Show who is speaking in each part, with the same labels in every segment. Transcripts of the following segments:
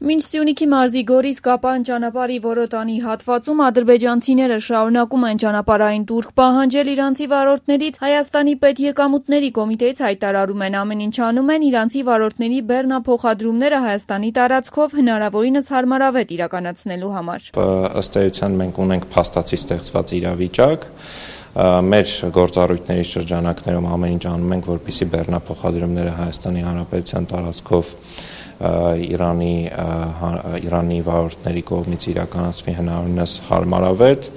Speaker 1: Մինչ Սյունիքի մարզի Գորիս-Կապան ճանապարհի որոտանի հատվածում ադրբեջանցիները շարունակում են ճանապարհային տուրք պահանջել իրանցի վարորդներից, Հայաստանի պետեկամուտների կոմիտեից հայտարարում են ամեն ինչ անում են իրանցի վարորդների բեռնափոխադրումները Հայաստանի տարածքով հնարավորինս հարմարավետ իրականացնելու համար։
Speaker 2: Ըստ էության մենք ունենք փաստացի ստեղծված իրավիճակ, մեր գործառույթների շրջանակներում ամեն ինչ անում ենք, որպեսզի բեռնափոխադրումները Հայաստանի Հանրապետության տարածքով Իրանի վարորդների կողմից իրականացվի հնարավորինս հարմարավետ,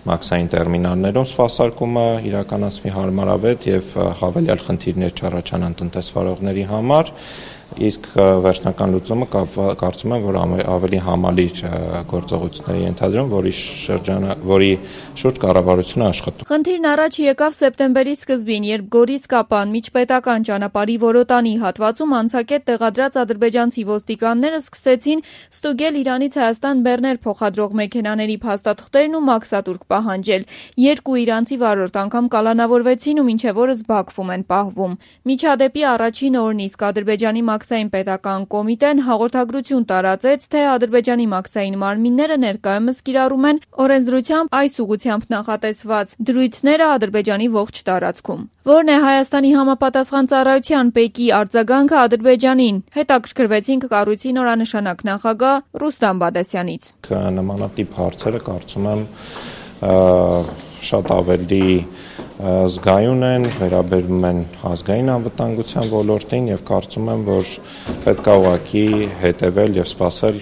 Speaker 2: մաքսային տերմինալներում սպասարկումը իրականացվի հարմարավետ եւ հավելյալ խնդիրներ չառաջանան տնտեսվարողների համար, իսկ վերջնական լուծումը կարծում եմ, որ ավելի համալիր գործողությունների ենթադրում, որի շուրջ կառավարությունը աշխատում։
Speaker 1: Խնդիրն առաջ եկավ սեպտեմբերի սկզբին, երբ Գորիս-Կապան միջպետական ճանապարհի որոտանի հատվածում անցակետ տեղադրած ադրբեջանցի ոստիկանները սկսեցին ստուգել Իրանից Հայաստան բեռներ փոխադրող մեքենաների փաստաթղթերն ու մաքսատուրք պահանջել։ Երկու իրանցի վարորդ անգամ կալանավորվեցին ու մինչև օրս Բաքվում են պահվում։ Միջադեպի առաջին օրն իսկ Ադրբեջանի մաքսային պետական կոմիտեն հաղորդագրություն տարածեց, թե Ադրբեջանի մաքսային մարմինները ներկայումս կիրառում են օրենսդրությամբ այս ուղղությամբ նախատեսված դրույթները Ադրբեջանի ողջ տարածքում։ Որն է Հայաստանի համապատասխան ծառայության ՊԵԿ-ի արձագանքը Ադրբեջանին։ Հետաքրքրվեցինք կառույցի նորանշանակ նախագահ Ռուստամ Բադասյանից։
Speaker 2: Նմանատիպ հարցերը կարծում եմ շատ ավելի զգայուն են, վերաբերում են ազգային անվտանգության ոլորտին եւ կարծում եմ, որ պետք է ուղղակի հետեւել եւ սպասել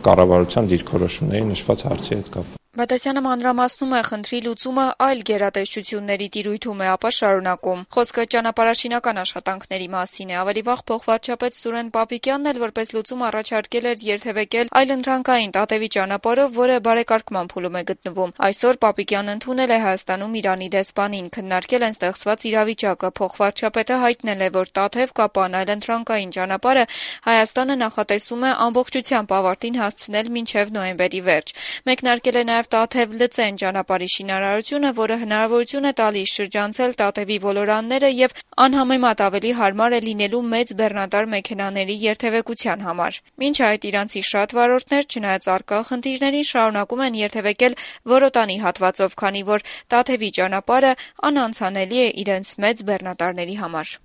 Speaker 2: կառավարության դիրքորոշումների նշված հարցի հետ կապված։
Speaker 1: Բադասյանը մանրամասնում է խնդրի լուծումը այլ գերատեսչությունների տիրույթում է, ապա շարունակում։ Խոսքը ճանապարհաշինական աշխատանքների մասին է։ Ավելի վաղ փոխվարչապետ Սուրեն Պապիկյանն էլ որպես լուծում առաջարկել էր երթևեկել այլընտրանքային Տատևի ճանապարհով, որը բարեկարգման փուլում է գտնվում։ Այսօր Պապիկյանն ընդունել է Հայաստանում Իրանի դեսպանին, քննարկել են ստեղծված իրավիճակը։ Փոխվարչապետը հայտնել է, որ Տաթև-Կապան այլընտրանքային ճանապարհը Հայաստանը նախատեսում է ամբողջությամբ ավարտին հասցնել մինչև նոյեմբերի վերջ։ Մեկնարկել է նաև Տաթև-Լծեն ճանապարհի շինարարությունը, որը հնարավորություն է տալիս շրջանցել Տատևի ոլորանները եւ անհամեմատ ավելի հարմար է լինելու մեծ բեռնատար մեքենաների երթևեկության համար։ Մինչ այդ իրանցի շատ վարորդներ, չնայած առկա խնդիրներին, շարունակում են երթևեկել որոտանի հատվածով, քանի որ Տաթևի ճանապարհը անանցանելի է իրենց մեծ բեռնատարների համար։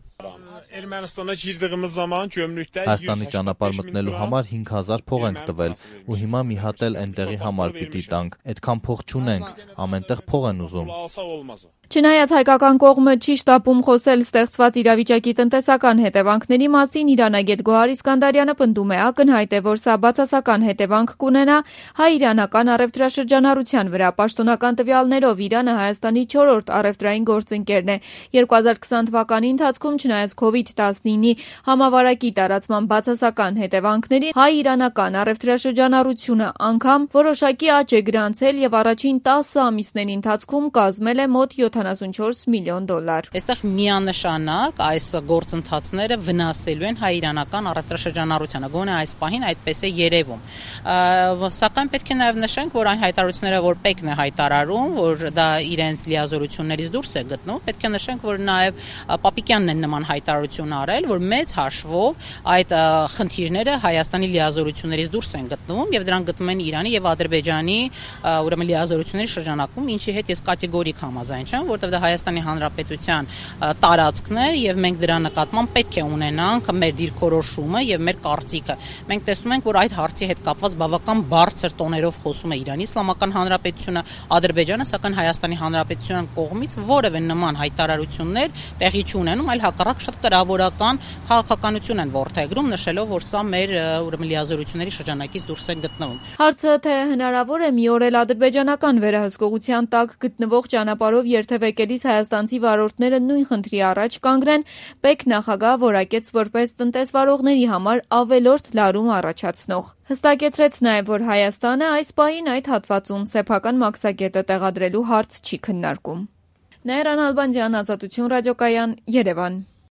Speaker 3: Հայաստանի ճանապարհ մտնելու համար 5000 փող ենք տվել ու հիմա մի հատ էլ այնտեղի համար պիտի տանք։ Այդքան փող չունենք, ամենտեղ փող են ուզում։
Speaker 1: Չնայած հայկական կողմը չի շտապում խոսել ստեղծված իրավիճակի տնտեսական հետևանքների մասին, իրանագետ Գոհար Իսկանդարյանը պնդում է, ակնհայտ է, որ սա բացասական հետևանք կունենա հայ-իրանական առևտրաշրջանառության վրա։ Պաշտոնական տվյալներով Իրանը Հայաստանի 4-րդ առևտրային գործընկերն է։ 2020 թվականի ընթացքում, չնայած COVID-19-ի համավարակի տարածման բացասական հետևանքների, հայ-իրանական առևտրաշրջանառությունը անգամ որոշակի աճ է գրանցել եւ առաջին 10 ամիսների ընթացքում կազմել է մոտ $74 միլիոն։
Speaker 4: Այստեղ միանշանակ այս գործընթացները վնասելու են հայ-իրանական առևտրաշրջանառությանը, գոնե այս պահին այդպես է երևում։ Սակայն պետք է նաև նշենք, որ այն հայտարարությունները, որ ՊԵԿ-ն է հայտարարում, որ դա իրենց լիազորություններից դուրս է գտնում, պետք է նշենք, որ նաև Պապիկյանն է նման հայտարարություն արել, որ մեծ հաշվով այդ խնդիրները Հայաստանի լիազորություններից դուրս են գտնվում եւ դրանք գտնվում են Իրանի եւ Ադրբեջանի ուրեմն լիազորությունների շրջանակում, ինչի հետ ես կատեգորիկ համաձայն չեմ, որտեղ դա Հայաստանի Հանրապետության տարածքն է եւ մենք դրա նկատմամբ պետք է ունենանք մեր դիրքորոշումը եւ մեր կարծիքը։ Մենք տեսնում ենք, որ այդ հարցի հետ կապված բավական բարձր տոներով խոսում է Իրանի Իսլամական Հանրապետությունը, Ադրբեջանը, սակայն Հայաստանի Հանրապետության կողմից որևէ նման հայտարարություններ տեղի չունենում, այլ հակառակ շատ կրավորական քաղաքականություն են որդեգրում, նշելով, որ սա մեր ուրեմն լիազորությունների շրջանակից դուրս է գտնվում։
Speaker 1: Հարցը թե հնարավոր է մի օր էլ ադրբեջանական վերահսկողության տակ գտնվող ճանապարհով երթևեկելիս հայաստանցի վարորդները նույն խնդրի առաջ կանգնեն, ՊԵԿ նախագահը որակեց որպես տնտեսվարողների համար ավելորդ լարում առաջացնող։ Հստակեցրեց նաև, որ Հայաստանը այս պահին այդ հատվածում սեփական մաքսակետը տեղադրելու հարց չի քննարկում։ Նայիրան Ալբանդյան, Ազատություն ռադիոկայան, Երևան։